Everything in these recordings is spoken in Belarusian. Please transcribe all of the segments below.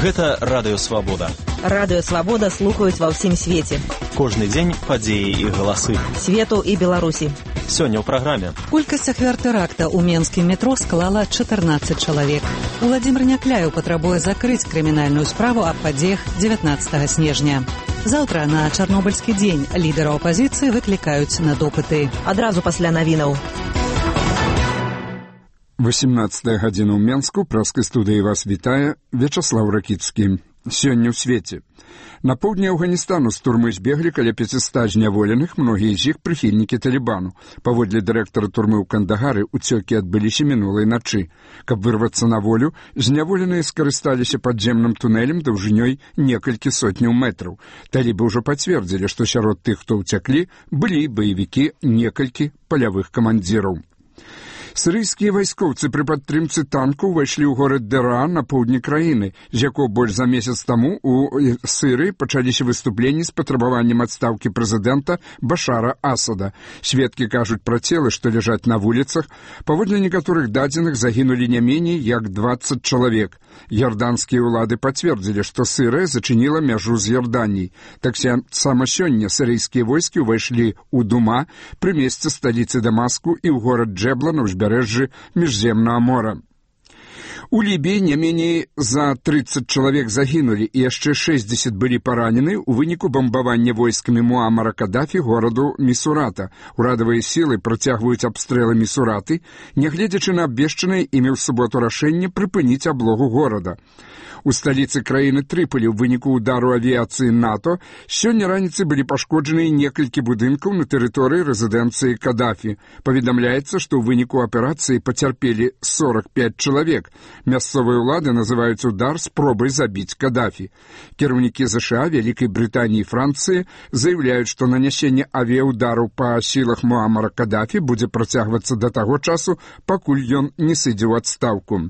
Гэта Радыё Свабода. Радыё Свабода слухаюць ва ўсім свеце. Кожны дзень падзеі і галасы. Свету і Беларусі. Сёння ў праграме. Колькасць ахвяр тэракта ў менскім метро склала 14 чалавек. Уладзімир Някляеў патрабуе закрыць крымінальную справу аб падзеях 19 снежня. Заўтра на Чарнобыльскі дзень лідара апазіцыі выклікаюць на допыты. Адразу пасля навінаў. 18 гадзіна ў Менску, праскай студыі вас вітае Вячаслаў Ракіцкі. Сёння ў свеце. На поўдні Афганістану з турмы збеглі каля 500 зняволеных, многія з іх прыхільнікі Талібану. Паводле дырэктара турмы ў Кандагары, уцёкі адбыліся мінулай начы. Каб вырвацца на волю, зняволеныя скарысталіся падземным тунэлем даўжынёй некалькі сотняў метраў. Талібы ўжо пацвердзілі, што сярод тых, хто ўцяклі, былі баевікі некалькі палявых камандзіраў. Сірыйскія вайскоўцы пры падтрымцы танку ўвайшлі ў горад Дэраа на поўдні краіны, з якога больш за месяц таму у Сірыі пачаліся выступленні з патрабаваннем адстаўкі прэзідэнта Башара Асада. Сведкі кажуць пра целы, што ляжаць на вуліцах. Паводле некаторых дадзеных загінулі не меней як 20 чалавек. Ярданскія ўлады пацвердзілі, што Сірыя зачыніла мяжу з Ярданіяй. Таксама сёння сірыйскія войскі ўвайшлі ў Дума, пры месцы сталіцы Дамаску і ў горад Джэбла на ўзбярэжжы Міжземнага мора. У Лібіі не меней за 30 чалавек загінулі і яшчэ 60 былі паранены ў выніку бамбавання войскамі Муамара Кадафі гораду Місурата. Урадавыя сілы працягваюць абстрэлы Місураты, нягледзячы на абвешчанае імі ў суботу рашэнне прыпыніць аблогу горада. У сталіцы краіны Трыполі ў выніку удару авіяцыі НАТО сёння раніцай былі пашкоджаны некалькі будынкаў на тэрыторыі рэзідэнцыі Кадафі. Паведамляецца, што ў выніку аперацыі пацярпелі 45 чалавек. Мясцовыя ўлады называюць удар спробай забіць Кадафі. Кіраўнікі ЗША, Вялікай Брытаніі і Францыі заяўляюць, што нанясенне авіяудараў па сілах Муамара Кадафі будзе працягвацца да таго часу, пакуль ён не сыдзе ў адстаўку.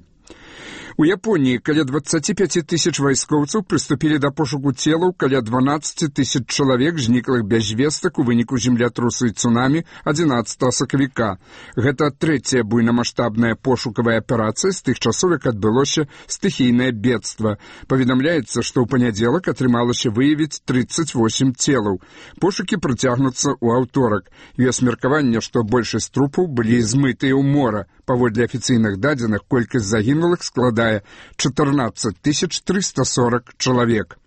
У Японіі каля 25 тысяч вайскоўцаў прыступілі да пошуку целаў каля 12 тысяч чалавек, зніклых без звестак у выніку землятрусу і цунамі 11 сакавіка. Гэта трэцяя буйнамаштабная пошукавая аперацыя з тых часоў, як адбылося стыхійнае бедства. Паведамляецца, што ў панядзелак атрымалася выявіць 38 целаў. Пошукі працягнуцца ў аўторак. Ёсць меркаванне, што большасць трупаў былі змытыя ў мора. Паводле афіцыйных дадзеных, колькасць загінулых складае 14 340 чалавек.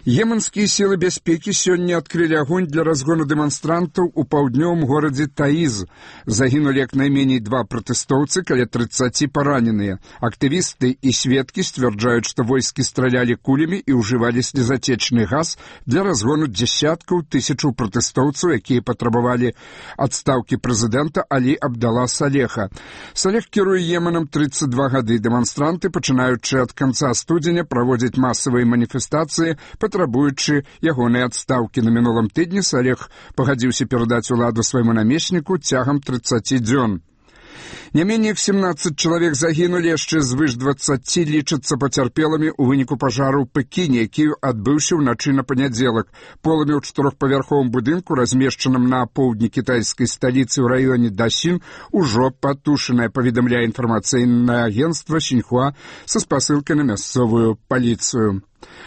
Йеменскія сілы бяспекі сёння адкрылі агонь для разгону дэманстрантаў у паўднёвым горадзе Таіз. Загінулі як найменей 2 пратэстоўцы, каля 30 параненыя. Актывісты і сведкі сцвярджаюць, што войскі стралялі кулямі і ўжывалі слезатечны газ для разгону дзясяткаў тысячаў пратэстоўцаў, якія патрабавалі адстаўкі прэзідэнта Алі Абдала Салеха. Салех кіруе Йеменам 32 гады. Дэманстранты, пачынаючы ад канца студзеня, праводзяць масавыя маніфестацыі, патрабуючы ягонай адстаўкі. На мінулым тыдні Салех пагадзіўся перадаць уладу свайму намесніку цягам 30 дзён. Не меней як 17 чалавек загінулі, яшчэ звыш 20 лічацца пацярпелымі ў выніку пажару ў Пекіне, які адбыўся ўначы на панядзелак. Полымя ў 4-павярховым будынку, размешчаным на поўдні кітайскай сталіцы ў раёне Дасін, ужо патушанае, паведамляе інфармацыйнае агенцтва Сіньхуа са спасылкай на мясцовую паліцыю.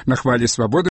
На хвалі свабоды